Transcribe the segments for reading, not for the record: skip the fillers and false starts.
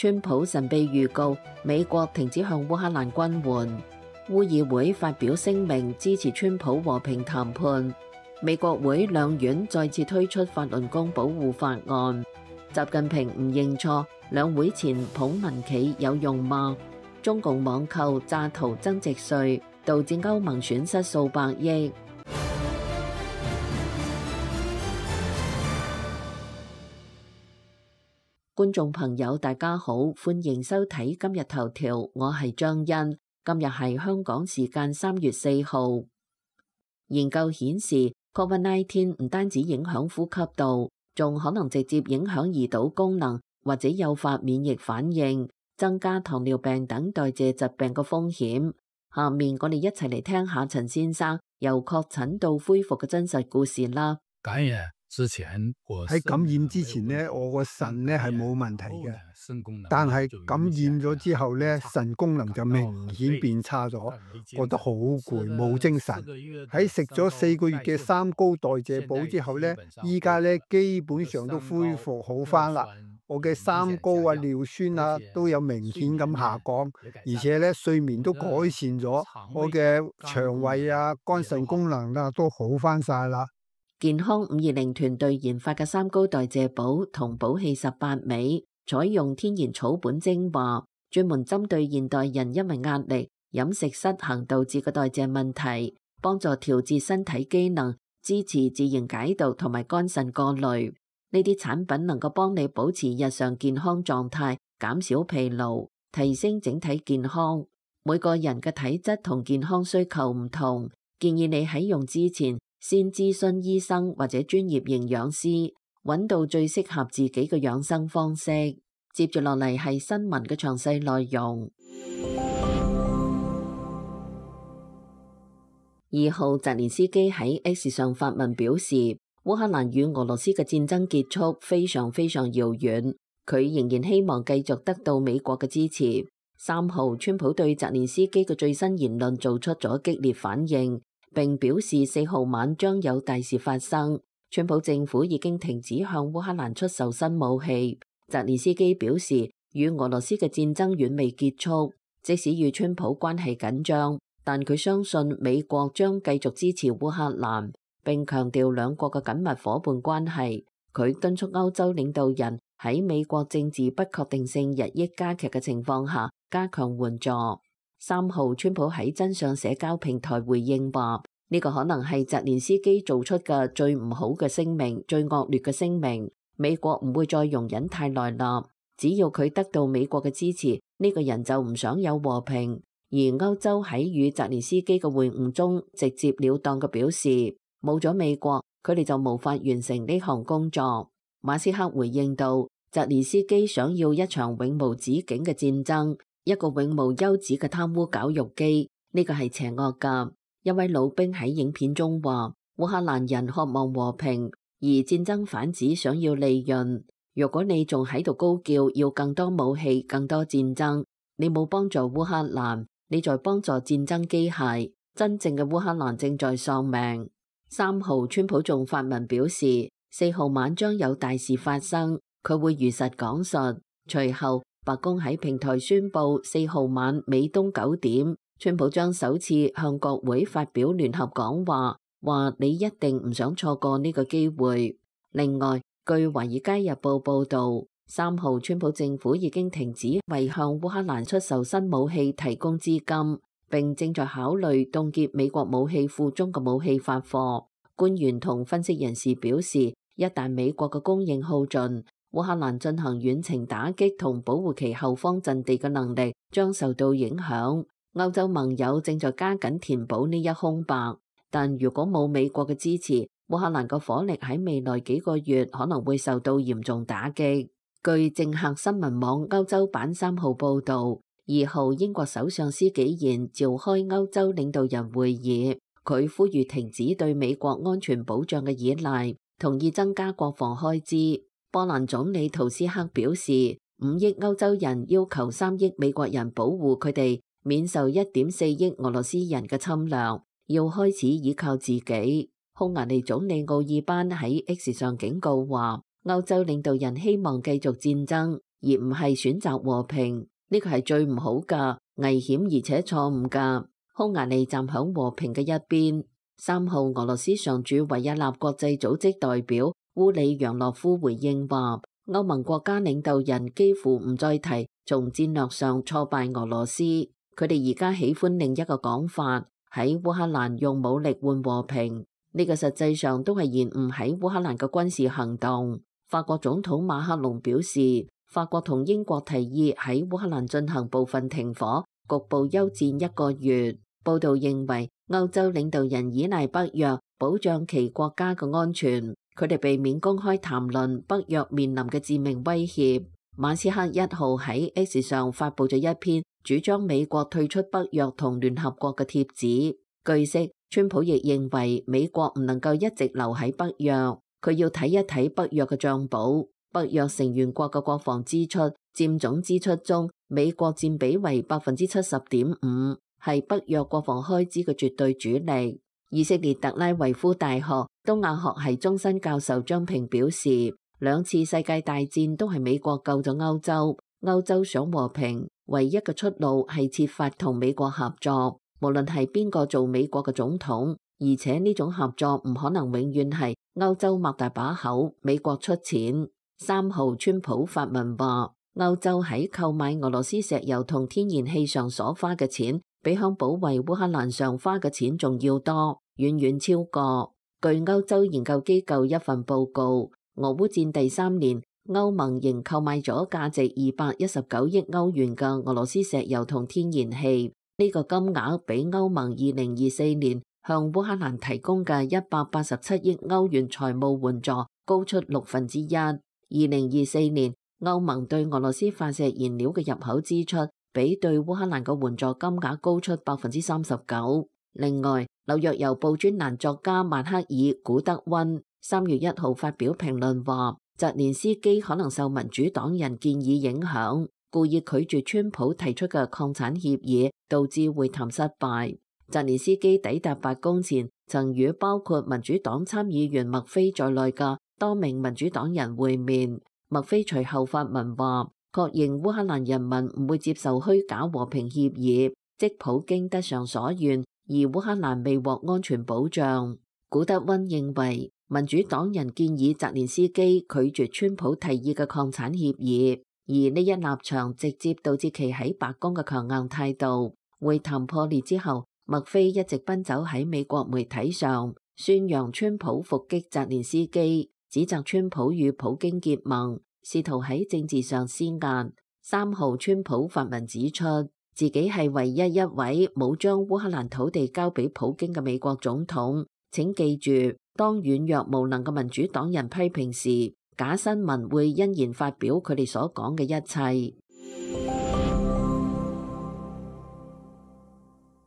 川普神秘預告美國停止向烏克蘭軍援。烏議會發表聲明支持川普和平談判。美國會兩院再次推出法輪功保護法案。習近平唔認錯，兩會前捧民企有用嗎？中共網購詐圖增值稅，導致歐盟損失數百億。觀眾朋友大家好，歡迎收睇今日頭條，我係張欣。今日係香港時間3月4號。研究顯示 ，COVID-19 唔單止影響呼吸道，仲可能直接影響胰島功能，或者誘發免疫反應，增加糖尿病等代謝疾病嘅風險。下面我哋一齊嚟聽下陳先生由確診到恢復嘅真實故事啦。喺感染之前呢，我個腎呢係冇問題嘅，但係感染咗之後呢，腎功能就明顯變差咗，覺得好攰，冇精神。喺食咗4個月嘅三高代謝補之後呢，依家呢基本上都恢復好返啦。我嘅三高啊、尿酸啊都有明顯咁下降，而且呢睡眠都改善咗，我嘅腸胃啊、肝腎功能啊都好返晒啦。健康520團隊研發嘅三高代謝補同補氣18味，採用天然草本精華，專門針對現代人因為壓力、飲食失衡導致嘅代謝問題，幫助調節身體機能，支持自然解毒同埋肝腎過濾。呢啲產品能夠幫你保持日常健康狀態，減少疲勞，提升整體健康。每個人嘅體質同健康需求唔同，建議你喺用之前，先諮詢醫生或者專業營養師，揾到最適合自己嘅養生方式。接住落嚟係新聞嘅詳細內容。2號，澤連斯基喺 X 上發文表示，烏克蘭與俄羅斯嘅戰爭結束非常遙遠，佢仍然希望繼續得到美國嘅支持。3號，川普對澤連斯基嘅最新言論做出咗激烈反應，並表示4號晚將有大事發生。川普政府已經停止向烏克蘭出售新武器。澤連斯基表示，與俄羅斯嘅戰爭遠未結束，即使與川普關係緊張，但佢相信美國將繼續支持烏克蘭，並強調兩國嘅緊密夥伴關係。佢敦促歐洲領導人喺美國政治不確定性日益加劇嘅情況下，加強援助。3號，川普喺真相社交平台回應話，呢個可能係澤連斯基做出嘅最唔好嘅聲明，最惡劣嘅聲明。美國唔會再容忍太耐啦，只要佢得到美國嘅支持，呢個人就唔想有和平。而歐洲喺與澤連斯基嘅會晤中，直接了當嘅表示，冇咗美國，佢哋就無法完成呢項工作。馬斯克回應道，澤連斯基想要一場永無止境嘅戰爭，一個永無休止嘅貪污絞肉機，呢個係邪惡㗎。一位老兵喺影片中話，烏克蘭人渴望和平，而戰爭販子想要利潤。如果你仲喺度高叫要更多武器、更多戰爭，你冇幫助烏克蘭，你在幫助戰爭機械。真正嘅烏克蘭正在喪命。3號，川普仲發文表示，4號晚將有大事發生，佢會如實講述。隨後，白宮喺平台宣布4號晚美東9點，川普將首次向國會發表聯合講話，話你一定唔想錯過呢個機會。另外，據《華爾街日報》報導，3號川普政府已經停止為向烏克蘭出售新武器提供資金，並正在考慮凍結美國武器庫中嘅武器發貨。官員同分析人士表示，一旦美國嘅供應耗盡，烏克蘭進行遠程打擊同保護其後方陣地嘅能力將受到影響。歐洲盟友正在加緊填補呢一空白，但如果冇美國嘅支持，烏克蘭嘅火力喺未來幾個月可能會受到嚴重打擊。據政客新聞網歐洲版3號報導，2號英國首相施紀賢召開歐洲領導人會議，佢呼籲停止對美國安全保障嘅依賴，同意增加國防開支。波蘭總理圖斯克表示，5億歐洲人要求3億美國人保護佢哋免受1.4億俄羅斯人嘅侵略，要開始依靠自己。匈牙利總理奧爾班喺 X 上警告話，歐洲領導人希望繼續戰爭，而唔係選擇和平。呢個係最唔好㗎，危險而且錯誤㗎。匈牙利站響和平嘅一邊。3號，俄羅斯常駐維也納國際組織代表烏里揚諾夫回應話，歐盟國家領導人幾乎唔再提從戰略上挫敗俄羅斯，佢哋而家喜歡另一個講法，喺烏克蘭用武力換和平。呢個實際上都係延誤喺烏克蘭嘅軍事行動。法國總統馬克龍表示，法國同英國提議喺烏克蘭進行部分停火，局部休戰1個月。報道認為，歐洲領導人依賴北約保障其國家嘅安全，佢哋避免公開談論北約面臨嘅致命威脅。馬斯克1號喺 X 上發佈咗一篇主張美國退出北約同聯合國嘅帖子。據悉，川普亦認為美國唔能夠一直留喺北約，佢要睇一睇北約嘅賬簿。北約成員國嘅國防支出佔總支出中，美國佔比為 70.5%， 係北約國防開支嘅絕對主力。以色列特拉維夫大學東亞學系終身教授張平表示，2次世界大戰都係美國救咗歐洲，歐洲想和平，唯一嘅出路係設法同美國合作，無論係邊個做美國嘅總統，而且呢種合作唔可能永遠係歐洲擘大把口，美國出錢。3號，川普發文話，歐洲喺購買俄羅斯石油同天然氣上所花嘅錢，比響保衛烏克蘭上花嘅錢仲要多，遠遠超過。據歐洲研究機構一份報告，俄烏戰第3年，歐盟仍購買咗價值219億歐元嘅俄羅斯石油同天然氣，呢個金額比歐盟2024年向烏克蘭提供嘅187億歐元財務援助高出1/6。2024年，歐盟對俄羅斯化石燃料嘅入口支出比對烏克蘭嘅援助金額高出 39%。另外，紐約郵報專欄作家曼克爾古德溫3月1號發表評論話，澤連斯基可能受民主黨人建議影響，故意拒絕川普提出嘅礦產協議，導致會談失敗。澤連斯基抵達白宮前，曾與包括民主黨參議員麥菲在內嘅多名民主黨人會面。麥菲隨後發文話，確認烏克蘭人民唔會接受虛假和平協議，即普京得償所願，而烏克蘭未獲安全保障。古德溫認為，民主黨人建議澤連斯基拒絕川普提議嘅礦產協議，而呢一立場直接導致其喺白宮嘅強硬態度。會談破裂之後，麥菲一直奔走喺美國媒體上，宣揚川普伏擊澤連斯基，指責川普與普京結盟，試圖喺政治上施壓。3號，川普發文指出，自己係唯一一位冇將烏克蘭土地交俾普京嘅美國總統。請記住，當軟弱無能嘅民主黨人批評時，假新聞會欣然發表佢哋所講嘅一切。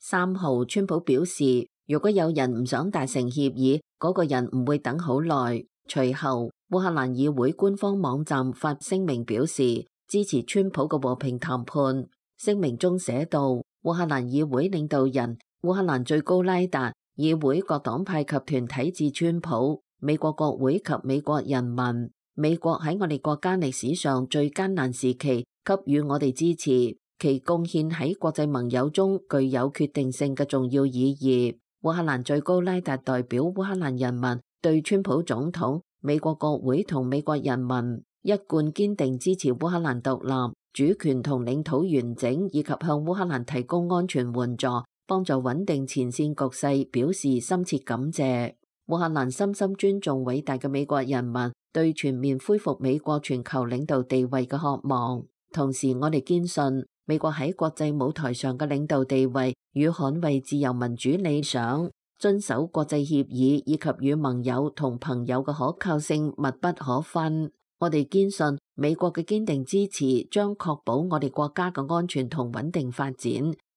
3號，川普表示，如果有人唔想達成協議，嗰個人唔會等好耐。隨後，烏克蘭議會官方網站發聲明表示支持川普嘅和平談判。聲明中寫道，烏克蘭議會領導人、烏克蘭最高拉達、議會各黨派及團體致川普、美國國會及美國人民。美國喺我哋國家歷史上最艱難時期給予我哋支持，其貢獻喺國際盟友中具有決定性嘅重要意義。烏克蘭最高拉達代表烏克蘭人民對川普總統、美國國會同美國人民一貫堅定支持烏克蘭獨立、主權同領土完整，以及向烏克蘭提供安全援助，幫助穩定前線局勢，表示深切感謝。烏克蘭深深尊重偉大嘅美國人民對全面恢復美國全球領導地位嘅渴望。同時，我哋堅信美國喺國際舞台上嘅領導地位與捍衛自由民主理想、遵守國際協議以及與盟友同朋友嘅可靠性密不可分。我哋堅信美國嘅堅定支持將確保我哋國家嘅安全同穩定發展。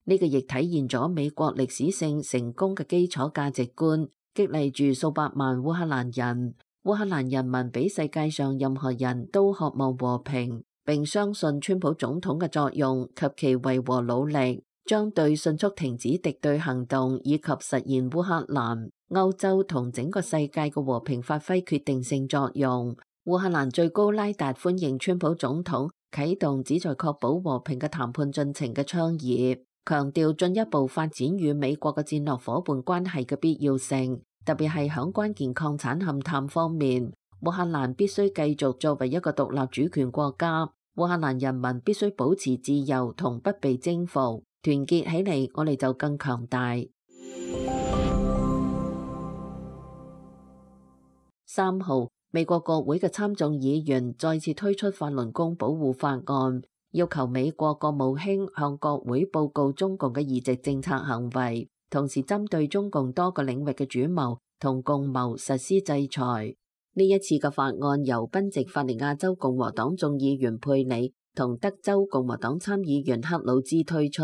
呢個亦體現咗美國歷史性成功嘅基礎價值觀，激勵住數百萬烏克蘭人。烏克蘭人民比世界上任何人都渴望和平，並相信川普總統嘅作用及其維和努力將對迅速停止敵對行動以及實現烏克蘭、歐洲同整個世界嘅和平發揮決定性作用。烏克蘭最高拉達歡迎川普總統啟動旨在確保和平嘅談判進程嘅倡議，強調進一步發展與美國嘅戰略夥伴關係嘅必要性，特別係響關鍵礦產勘探方面，烏克蘭必須繼續作為一個獨立主權國家，烏克蘭人民必須保持自由同不被征服，團結起嚟，我哋就更強大。3號，美國國會嘅參眾議員再次推出法輪功保護法案，要求美國國務卿向國會報告中共嘅移植政策行為，同時針對中共多個領域嘅主謀同共謀實施制裁。呢一次嘅法案由賓夕法尼亞州共和黨眾議員佩里同德州共和黨參議員克魯茲推出，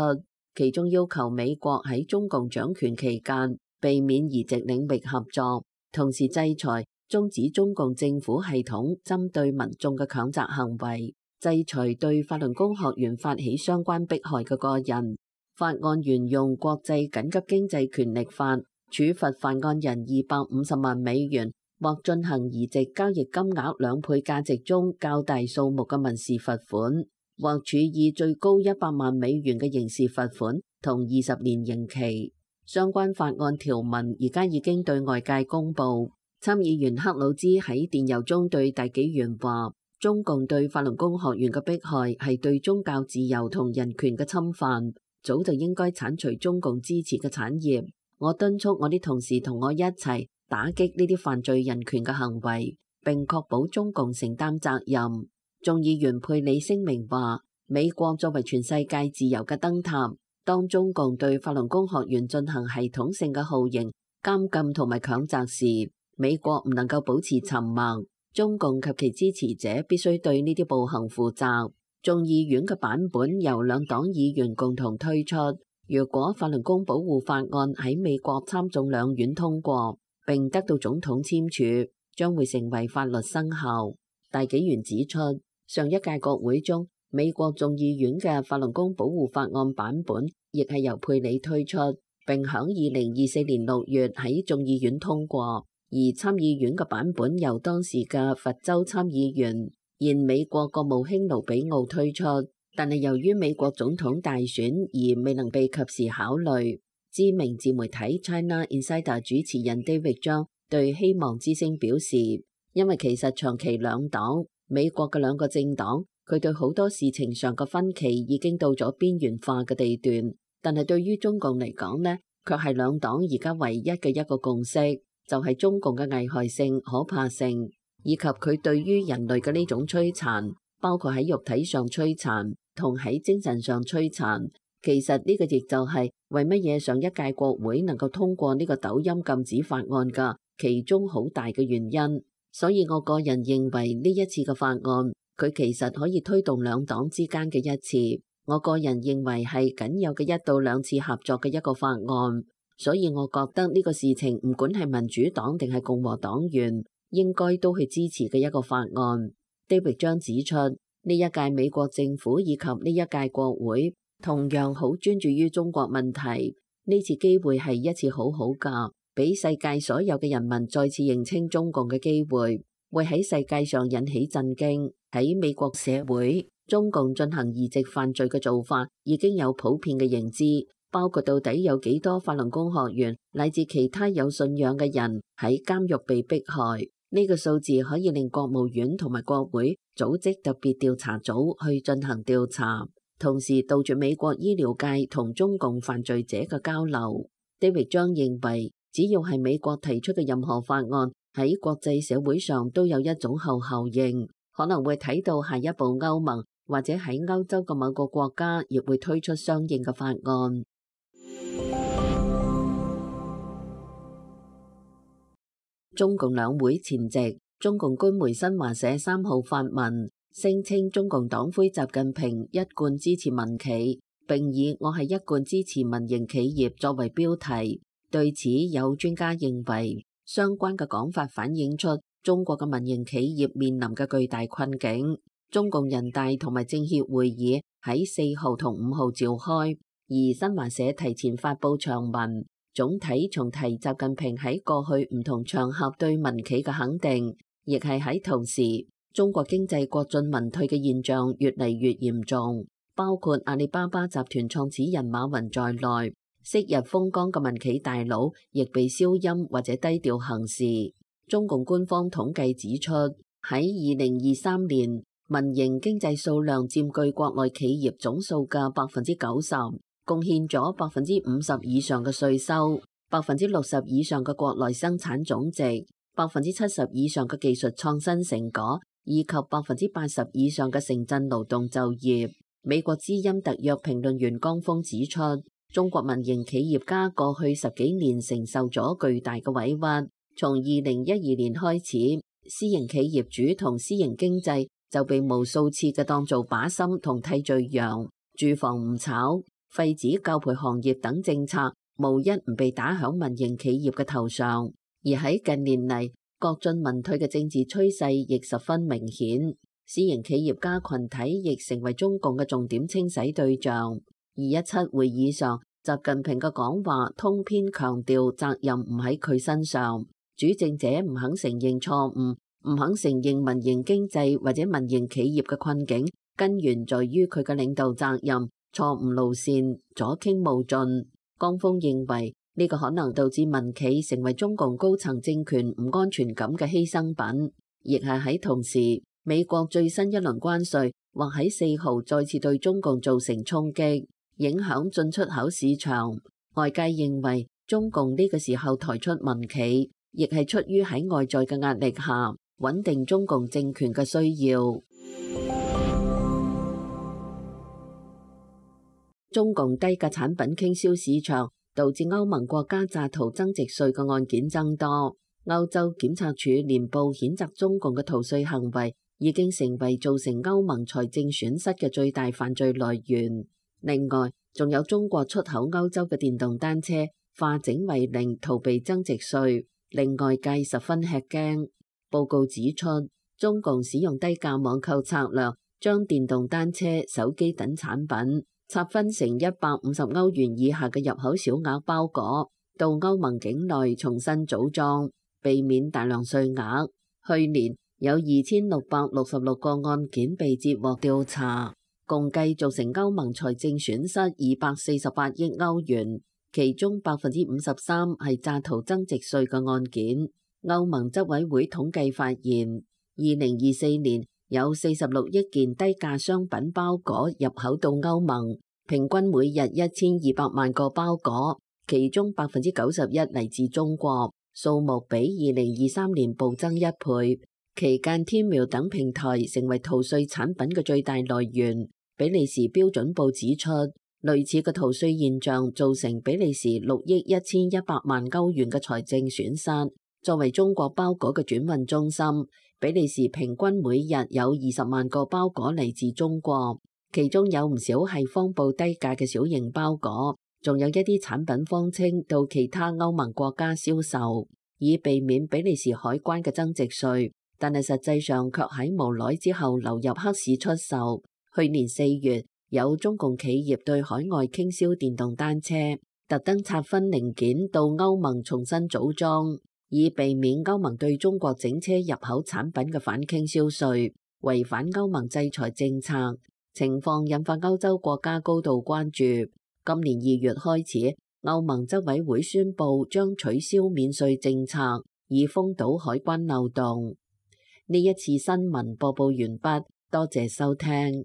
其中要求美國喺中共掌權期間避免移植領域合作，同時制裁終止中共政府系統針對民眾嘅強責行為，制裁對法輪功學員發起相關迫害嘅個人。法案沿用國際緊急經濟權力法，處罰犯案人250萬美元，或進行移植交易金額2倍價值中較大數目嘅民事罰款，或處以最高100萬美元嘅刑事罰款同20年刑期。相關法案條文而家已經對外界公佈。參議員克魯茲喺電郵中對大紀元話：中共對法輪功學員嘅迫害係對宗教自由同人權嘅侵犯，早就應該剷除中共支持嘅產業。我敦促我啲同事同我一齊打擊呢啲犯罪人權嘅行為，並確保中共承擔責任。眾議員佩里聲明話：美國作為全世界自由嘅燈塔，當中共對法輪功學員進行系統性嘅酷刑、監禁同埋強責時，美國唔能夠保持沉默，中共及其支持者必須對呢啲暴行負責。眾議院嘅版本由兩黨議員共同推出。如果法輪功保護法案喺美國參眾兩院通過，並得到總統簽署，將會成為法律生效。大紀元指出，上一屆國會中，美國眾議院嘅法輪功保護法案版本亦係由佩里推出，並響2024年6月喺眾議院通過。而參議院嘅版本由當時嘅佛州參議員、現美國國務卿盧比奧推出，但係由於美國總統大選而未能被及時考慮。知名自媒體 China Insider 主持人 David Zhang 對希望之聲表示，因為其實長期兩黨，美國嘅兩個政黨，佢對好多事情上嘅分歧已經到咗邊緣化嘅地段，但係對於中共嚟講呢，卻係兩黨而家唯一嘅一個共識。就係中共嘅危害性、可怕性，以及佢對於人類嘅呢種摧殘，包括喺肉體上摧殘同喺精神上摧殘。其實呢個亦就係為乜嘢上一屆國會能夠通過呢個抖音禁止法案嘅其中好大嘅原因。所以我個人認為呢一次嘅法案，佢其實可以推動兩黨之間嘅一次。我個人認為係僅有嘅1到2次合作嘅一個法案。所以我覺得呢個事情唔管係民主黨定係共和黨員，應該都去支持嘅一個法案。David 將指出，呢一屆美國政府以及呢一屆國會同樣好專注於中國問題。呢次機會係一次好好㗎，俾世界所有嘅人民再次認清中共嘅機會，會喺世界上引起震驚。喺美國社會，中共進行移植犯罪嘅做法已經有普遍嘅認知。包括到底有幾多法輪功學員乃至其他有信仰嘅人喺監獄被迫害，呢個數字可以令國務院同埋國會組織特別調查組去進行調查，同時杜絕美國醫療界同中共犯罪者嘅交流。David Zhang認為，只要係美國提出嘅任何法案喺國際社會上都有一種後效應，可能會睇到下一步歐盟或者喺歐洲嘅某個國家亦會推出相應嘅法案。中共兩會前夕，中共官媒新華社3號發文，聲稱中共黨魁習近平一貫支持民企，並以我係一貫支持民營企業作為標題。對此，有專家認為，相關嘅講法反映出中國嘅民營企業面臨嘅巨大困境。中共人大同埋政協會議喺4號同5號召開，而新華社提前發佈長文。總體重提習近平喺過去唔同場合對民企嘅肯定，亦係喺同時，中國經濟國進民退嘅現象越嚟越嚴重，包括阿里巴巴集團創始人馬雲在內，昔日風光嘅民企大佬亦被消音或者低調行事。中共官方統計指出，喺2023年，民營經濟數量佔據國內企業總數嘅90%，貢獻咗50%以上嘅稅收，60%以上嘅國內生產總值，70%以上嘅技術創新成果，以及80%以上嘅城鎮勞動就業。美國之音特約評論員江峰指出，中國民營企業家過去10幾年承受咗巨大嘅委屈，從2012年開始，私營企業主同私營經濟就被無數次嘅當做靶心同替罪羊，住房唔炒、廢止教培行業等政策，無一唔被打響民營企業嘅頭上。而喺近年嚟，國進民退嘅政治趨勢亦十分明顯，私營企業家群體亦成為中共嘅重點清洗對象。217會議上，習近平嘅講話通篇強調責任唔喺佢身上，主政者唔肯承認錯誤，唔肯承認民營經濟或者民營企業嘅困境，根源在於佢嘅領導責任、錯誤路線、左傾無盡。江峰認為呢個可能導致民企成為中共高層政權唔安全感嘅犧牲品，亦係喺同時，美國最新一輪關稅或喺4號再次對中共造成衝擊，影響進出口市場。外界認為中共呢個時候抬出民企，亦係出於喺外在嘅壓力下穩定中共政權嘅需要。中共低價產品傾銷市場，導致歐盟國家詐逃增值稅嘅案件增多。歐洲檢察署年報譴責中共嘅逃稅行為已經成為造成歐盟財政損失嘅最大犯罪來源。另外，仲有中國出口歐洲嘅電動單車化整為零，逃避增值稅，令外界十分吃驚。報告指出，中共使用低價網購策略，將電動單車、手機等產品拆分成150歐元以下嘅入口小額包裹，到歐盟境內重新組裝，避免大量稅額。去年有2666個案件被接獲調查，共計造成歐盟財政損失248億歐元，其中53%係詐逃增值稅嘅案件。歐盟執委會統計發現，2024年有46億件低價商品包裹入口到歐盟，平均每日1200萬個包裹，其中91%嚟自中國，數目比2023年暴增1倍。期間，天貓等平台成為逃稅產品嘅最大來源。比利時標準報指出，類似嘅逃稅現象造成比利時6億1100萬歐元嘅財政損失。作為中國包裹嘅轉運中心，比利時平均每日有20萬個包裹嚟自中國，其中有唔少係謊報低價嘅小型包裹，仲有一啲產品謊稱到其他歐盟國家銷售，以避免比利時海關嘅增值稅，但係實際上卻喺無耐之後流入黑市出售。去年4月，有中共企業對海外傾銷電動單車，特登拆分零件到歐盟重新組裝，以避免歐盟對中國整車入口產品嘅反傾銷稅，違反歐盟制裁政策。情況引發歐洲國家高度關注。今年2月開始，歐盟執委會宣布將取消免稅政策，以封堵海關漏洞。呢一次新聞播報完畢，多謝收聽。